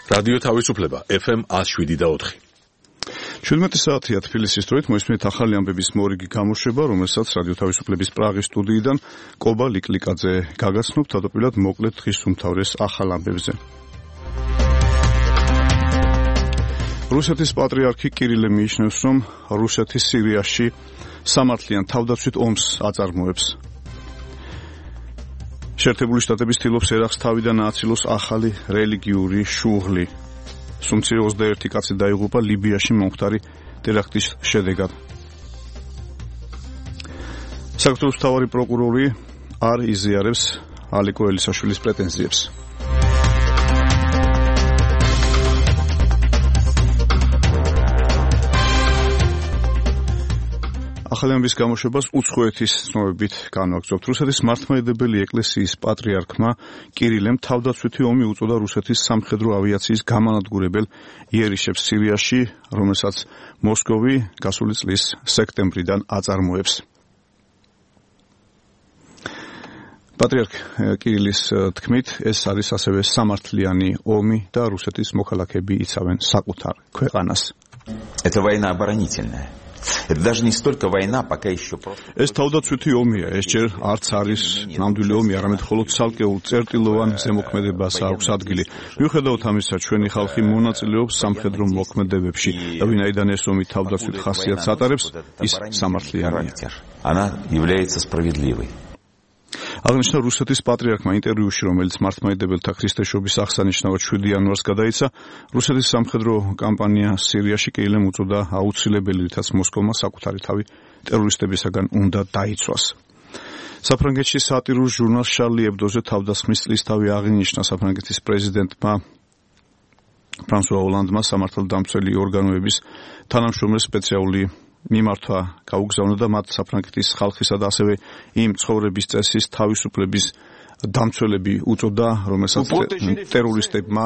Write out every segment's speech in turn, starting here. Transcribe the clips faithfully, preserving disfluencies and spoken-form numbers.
რადიო თავისუფლება ეფ ემ one oh seven და four. შვიდმეტი საათია თბილისის დროით მოისმენთ ახალი ამბების მორიგი გამოშვება, რომელსაც რადიო თავისუფლების პრაღის სტუდიიდან კობა ლიკლიკაძე გაგაცნობთ, თავდაპირველად მოკლედ დღის უმთავრეს ახალ ამბებზე. რუსეთის პატრიარქი კირილე მიიჩნევს, რომ რუსეთი სირიაში სამართლიან თავდაცვით ომს აწარმოებს. შეერთებული შტატების ცდილობს ერაყს თავიდან ააცილოს ახალი რელიგიური შუღლი. სუმცირე ოცდაერთი კაცი დაიღუპა ლიბიაში მომხდარი ტერაქტის შედეგად. საქართველოს მთავარი პროკურორი არ იზიარებს ალიკო ელისაშვილის პრეტენზიებს. ახალი ამბის გამოშვებას უცხოეთის ცნობებით განვაგრძობთ. რუსეთის მართლმადიდებელი ეკლესიის პატრიარქმა კირილემ თავდაცვითი ომი უწოდა რუსეთის სამხედრო ავიაციის გამანადგურებელ იერიშებს სირიაში, რომელსაც მოსკოვი გასული წლის სექტემბრიდან აწარმოებს. პატრიარქ კირილის თქმით, ეს არის ასევე სამართლიანი ომი და რუსეთის მოქალაქეები იცავენ საკუთარ ქვეყანას. Это война оборонительная. Это даже не столько война, пока еще просто. ეს თავდაცვითი ომია, ეს ჯერ არც არის ნამდვილი ომი, არამედ მხოლოდ ცალკეულ წერტილოვან ზემოქმედებას აქვს ადგილი. მიუხედავად ამისა, ჩვენი ხალხი მონაწილეობს სამხედრო მოქმედებებში და ვინაიდან ეს ომი თავდაცვით ხასიათს ატარებს, ის სამართლიანია. Она является справедливой. აღნიშნა რუსეთის პატრიარქმა ინტერვიუში, რომელიც მართლმადიდებელთა ქრისტეშობის აღსანიშნავად შვიდი იანვარს გადაიცა, რუსეთის სამხედრო კამპანია სირიაში კირილემ უწოდა აუცილებელი, რითაც მოსკოვმა საკუთარი თავი ტერორისტებისაგან უნდა დაიცვას. საფრანგეთში სატირულ ჟურნალ შარლი ებდოზე თავდასხმის წლისთავი აღინიშნა საფრანგეთის პრეზიდენტმა ფრანსუა ოლანდმა სამართალდამცველი ორგანოების თანამშრომლებს სპეციალური მიმართვა გაუგზავნა და მათ საფრანგეთის ხალხისა და ასევე იმ ცხოვრების წესის თავისუფლების დამცველები უწოდა, რომელსაც ტერორისტებმა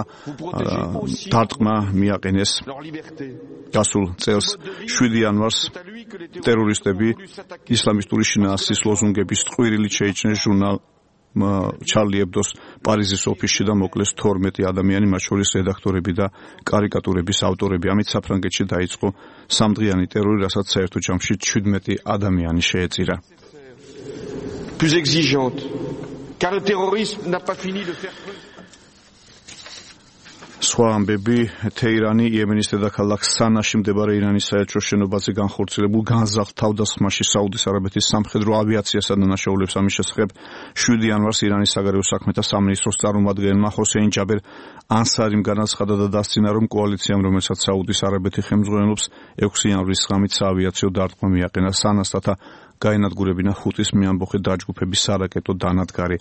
დარტყმა მიაყენეს. გასულ წელს შვიდი იანვარს ტერორისტები ისლამისტური შინაარსის ლოზუნგების ტყვირილით შეიჭრნენ ჟურნალ ჩარლი ებდოს პარიზის ოფისში და მოკლეს თორმეტი ადამიანი, მათ შორის რედაქტორები და კარიკატურების ავტორები. ამით საფრანგეთში დაიწყო სამდღიანი ტერორი, რასაც საერთო ჯამში შვიდმეტი ადამიანი შეეწირა. Plus exigeante, car le terrorisme n'a pas fini de faire სხვა ამბები, თეირანი იემენის დედაქალაქ სანაში მდებარე ირანის საელჩო შენობაზე განხორციელებულ განზრახ თავდასხმაში საუდის არაბეთის სამხედრო ავიაციასა და ნაშაულებს ამის შესახებ შვიდი იანვარს ირანის საგარეო საქმეთა სამინისტროს წარმომადგენელმა ჰოსეინ ჯაბერ ანსარიმ განაცხადა და დასცინა, რომ კოალიციამ, რომელსაც საუდის არაბეთი ხელმძღვანელობს, ექვსი იანვრის ღამით საავიაციო დარტყმა მიაყენა სანასთათა გაენადგურებინა ხუთის მეამბოხე დაჯგუფების სარაკეტო დანადგარი.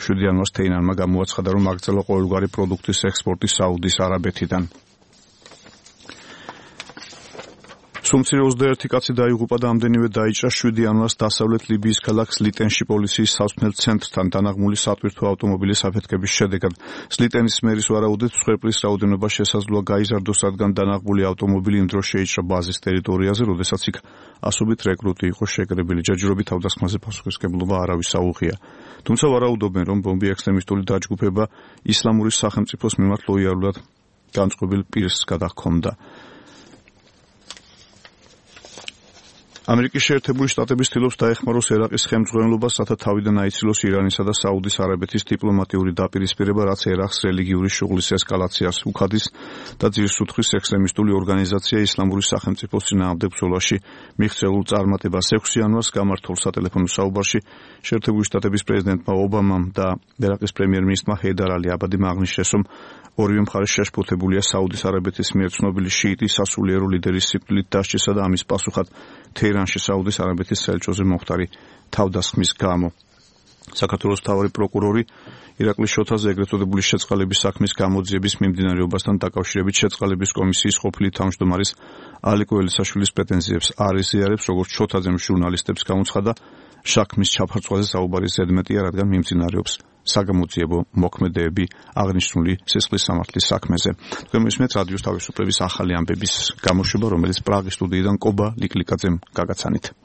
შვიდი იანვარს თეირანმა გამოაცხადა, რომ აგრძელა ყოველგვარი პროდუქტის ექსპორტი საუდის არაბეთიდან. სუმცირე ოცდაერთი კაცი დაიღუპა და ამდენივე დაიჭრა შვიდი იანვარს დასავლეთ ლიბიის ქალაქ სლიტენში პოლიციის სასმელ ცენტრთან დანაღმული სატვირთო ავტომობილის აფეთქების შედეგად. სლიტენის მერის ვარაუდით მსხვერპლის რაოდენობა შესაძლოა გაიზარდოს, რადგან დანაღმული ავტომობილი იმ დროს შეიჭრა ბაზის ტერიტორიაზე, როდესაც იქ ასობით რეკრუტი იყო შეკრებილი. ჯერჯერობით თავდასხმაზე პასუხისმგებლობა არავის აუღია. თუმცა ვარაუდობენ, რომ ბომბი ექსტრემისტული დაჯგუფება ისლამური სახელმწიფოს მიმართ ლოიალურად განწყობილ პირს გადაჰქონდა. ამერიკის შეერთებული შტატები ცდილობს დაეხმაროს ერაყის ხელმძღვანელობას, რათა თავიდან აიცილოს ირანისა და საუდის არაბეთის დიპლომატიური დაპირისპირება, რაც ერაყს რელიგიური შუღლის ესკალაციას უხადის და ძირს უძღვის ექსტრემისტული ორგანიზაცია ისლამური სახელმწიფოს წინააღმდეგ ბრძოლაში მიღწეულ წარმატებას. ექვსი იანვარს გამართულ სატელეფონო საუბარში შეერთებული შტატების პრეზიდენტმა ობამამ და ერაყის პრემიერ-მინისტრმა ჰეიდარ ალი აბადიმ აღნიშნეს, რომ ორივე მხარე შეშფოთებულია საუდის არაბეთის მიერ ცნობილი შიიტი სასულიერო ლიდერის სიკვდილით დასჯისა და ამის პასუხად თეირანში საუდის არაბეთის საელჩოზე მომხდარი თავდასხმის გამო. საქართველოს მთავარი პროკურორი ირაკლი შოთაზე ეგრეთ წოდებული შეწყალების საქმის გამოძიების მიმდინარეობასთან დაკავშირებით შეწყალების კომისიის ყოფილი თავმჯდომარის ალიკო ელისაშვილის პრეტენზიებს არ იზიარებს, როგორც შოთაძემ ჟურნალისტებს გამოცხადა, საქმის ჩაფარწვაზე საუბარი ზედმეტია, რადგან მიმდინარეობს საგამოძიებო მოქმედებები აღნიშნული სისხლის სამართლის საქმეზე. თქვენ მისმენთ რადიოს თავისუფლების ახალი ამბების გამოშვება, რომელიც პრაღის სტუდიიდან კობა ლიკლიკაძემ გაგაცანით.